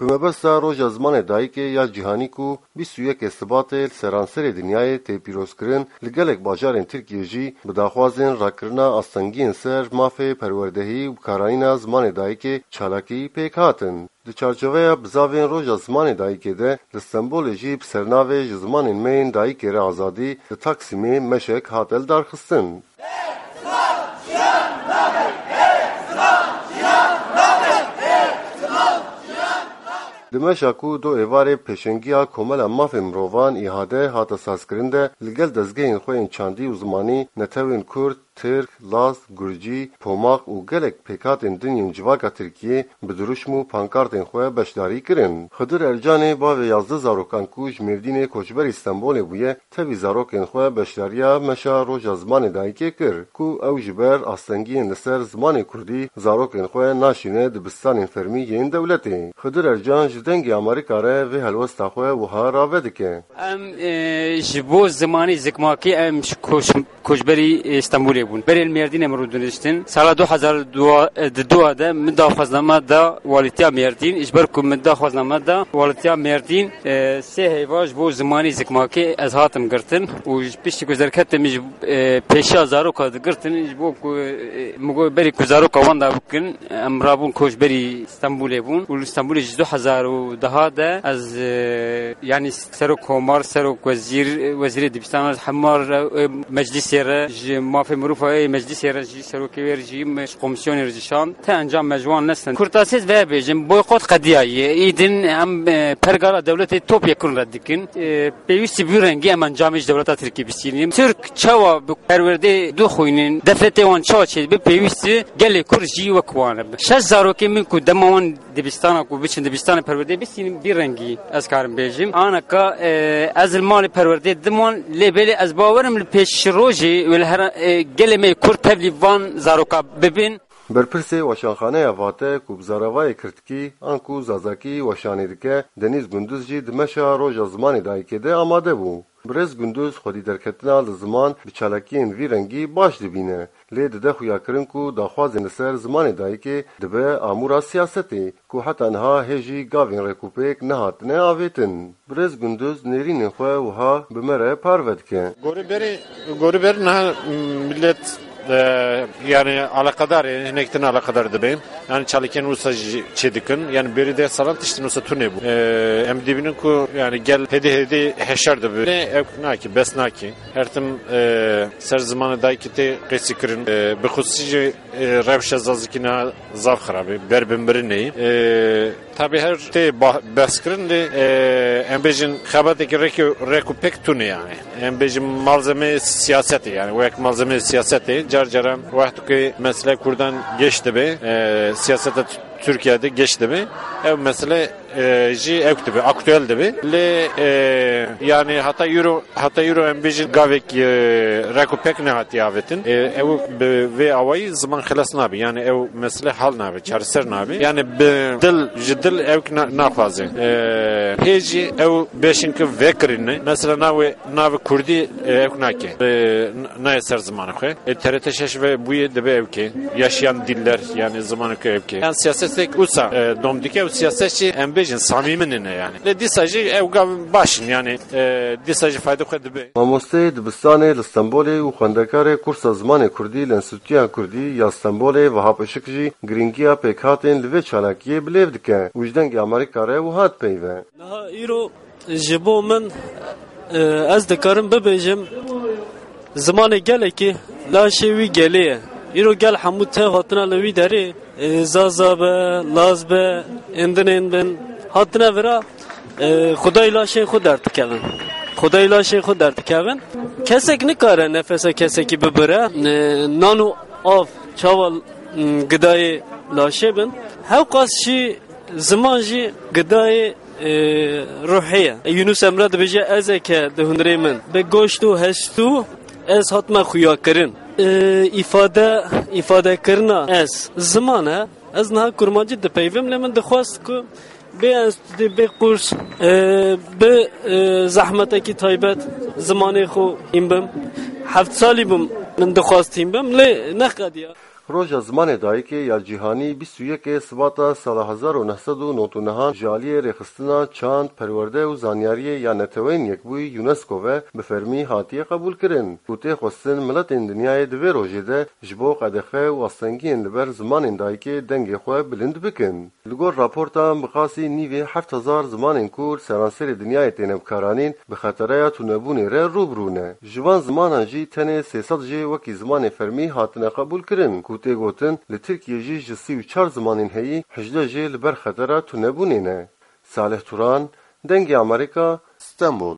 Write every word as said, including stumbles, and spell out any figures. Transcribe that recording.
Bi mebesta Roja Zimanê Dayikê ya Cîhanî ku bîst û yekê Sibatê li seranserê dinyayê tê pîrozkirin, li gelek bajarên Tirkiyê jî bi daxwazên rakirina astengiyên ser mafê perwerdehî û bikaranîna zimanê dayikê çalakî pêk hatin. Di çarçoveya bizavên Roja Zimanê Dayikê de li Stenbolê jî bi sernavê Ji Zimanên Me yên Dayikê Re Azadî li Taksîmê meşek hate lidarxistin. Di meşa ku do êvarê pêşengiya Komela Mafên Mirovan, î h d, hate sazkirin de, li gel dezgehên xwe yên çandî û zimanî, netewên Kurd, Tirk, Laz, Gurcî, Pomaq û gelek pêkhatên din yên civaka Tirkiyê bi dirûşm û pankartên xwe beşdarî kirin. Xidir Ercanê, bavê yazdeh zarokan ku ji Mêrdînê koçberî Stenbolê bûye, tevî zarokên xwe beşdariya meşa Roja Zimanê Dayikê kir, ku ew ji ber astengiyên li ser zimanê kurdî zarokên xwe naşîne dibistanên fermî yên dewletê. Xidir Ercan ji Dengê Amerîka re vê helwesta xwe wiha rave dike. Em, e, ji bo zimanê zikmakî em ji koç-, koçberî, e, Stenbolê bûn. Berê li Mêrdînê min rûdiniştin. Sala du hezar dua, e, di dua de min daxwazname da walîtiya Mêrdîn. Ji ber ku min daxwazname da walîtiya Mêrdîn, e, sê heyva ji bo zimanê zikmakî ez hatim girtin. Û ji piştî ku derketim ji, e, pêşiya zaroka digirtin, ji bo ku, e, min got berî ku zaroka wan da bikin, em rabûn koçberî Stenbolê bûn û li Stenbolê ji du hezar û deha de ez, e, yanî serok komar, serok wezîr, wezîrê dibistana hema re, e, meclisê re, ji mafê mirofa ê meclisê re jî, serokê wê re jî, me ji komisyonê re jî şand. Te encam me ji wan nestin. Kurtasê ez vê bêjim, boykot qediyaye. Îdin em, e, pergala dewletê top yekun red dikin. E, pêwîstî bi vî rengî em encamê ji dewleta Tirkî bistînin. Tirk çawa bi perwerdê dixwînin, defletê wan çawa çêdibe, pêwîst e gelê Kurd jî wek wan e. Şeş zarokê min ku dema wan dibistana ku biçin dibistana perwerdê bistînin, vî rengî ez karim bêjim. Anaka, e, ez li malê perwerdê didim wan, lê belê ez bawerim li pêşrojê wê li her, e, gelê me yê Kurd tevlî van zaroka bibin. Berpirsê Weşanxaneya Vate ku bi zaravayê Kirdkî anku Zazakî weşanê dike, Denîz Gunduz jî di meşa Roja Zimanê Dayikê de amade bû. Birêz Gunduz xwedî derketina li ziman bi çalakiyên vî rengî baş dibîne, lê dide xuyakirin ku daxwazên li ser zimanê dayikê dibe amûra siyasetê, ku heta niha hê jî gavên rêkûpêk nehatine avêtin. Birêz Gunduz nêrînên xwe wiha bi me re parve dike. Gorî berî, gorî berî niha millet, e, yani alakadar, yani hinek din alakadar dibe. Yani çalakiyên wisa jî çê dikin. Yani berî deh salan tiştin wisa tune bû. E, em dibînin ku yani gel hêdî hêdî heşar dibe. Ew nakî, bes nakî. Her tim, e, ser zimanê dayikê tê qesî kirin. E, bi xusî jî, e, rewşa zazakî niha zaf xirab e. Ber bi mirinê. E, Tabi her tê ba-, behs kirin lê, e, em bêjin xebateke rêk û, rêk û pêk tune yani. Em bêjin malzeme siyasetê yani. Wek malzeme siyasetê car caran wexto ku mesele Kurdan geş dibe, e, siyaseta T-, Tirkiye de geş dibe. Ev mesele, e, jî ew dibe, aktuel dibe. Lê, e, yani hata euro Heta îro em bêjin gavek, e, rek û pek nehatiye avêtin. E, ew bi vê awayî ziman xilas nabe. Yani ew mesele hal nabe, çareser nabe. Yani bi dil, ji dil ew na-, naxwaze. E, hê jî ew beşin ki vekirine. Mesela navê, navê Kurdî, e, ew nake. E, n-, nayê ser zimanê xwe. E, T R T şeş ve bûye dibe ew ke. Yaşayan diller, yani zimanê ke ew ke. Yani siyasetek usa, e, dom dike û siyaset jî em bêjin samîmin ne yani. Lê dîsa jî ew gav başin yani. E, dîsa jî fayda xwe dibe. Mamoste dibistanê li Stenbolê û xwendekarê kursa zimanê kurdî li Enstîtuya Kurdî ya Stenbolê Vehap Işik jî girîngiya pêkhatên li vê çalakiyê bilêv dike û ji Dengê Amerîka re wiha dipeyve. Niha îro ji bo min, e, ez dikarim bibêjim, zimanê gelekî laşê wî gelê ye. Îro gel hemû tev hatine li wî derê. E, Zaza be, Laz be, êndinên bin, hatine vira, e, xwedayî laşên xwe derdikevin. Xwedayî laşên xwe derdikevin. Kesek nikare nefesa kesekî bibire. E, nan û av çawa, m, gidayê laşê bin. Hewqas jî ziman jî gidayê e, ruhê ye. Yunus Emre dibêje, "Ez eke di hundirê min bi goşt û hestû ez hatime xuyakirin." E, îfade, îfadekirina ez ziman e. Ez niha kurmancî dipeyvim, lê min dixwest ku bê enstîtû, bê kurs, e, bi, e, zehmetekî taybet zimanê xwe hîn bim. Heft salî bûm min dixwest hîn bim, lê neqediya. Roja Zimanê Dayikê ya Cîhanî bîst û yekê Sibata sala hezar û neh sed û nod û nehan ji aliyê Rêxistina Çand, Perwerde û Zanyariyê ya Neteweyên Yekbûyî UNESCO ve bi fermî hatiye qebûlkirin û tê xwestin miletên dinyayê di vê rojê de ji bo qedexe û astengiyên li ber zimanên dayikê dengê xwe bilind bikin. Li gor raporta miqasî nîvê heft hezar zimanên ku li seranserê dinyayê têne bikaranîn bi xetereya tunebûnê re rû bi rû ne. Ji van zimanan jî tenê sê sed jê wekî zimanê fermî hatine qebûlkirin ku tê gotin li Tirkiyê jî ji sî û çar zimanên heyî hejdeh jê li ber xetera tunebûnê ne. Salih Turan, Dengê Amerîka, Stenbol.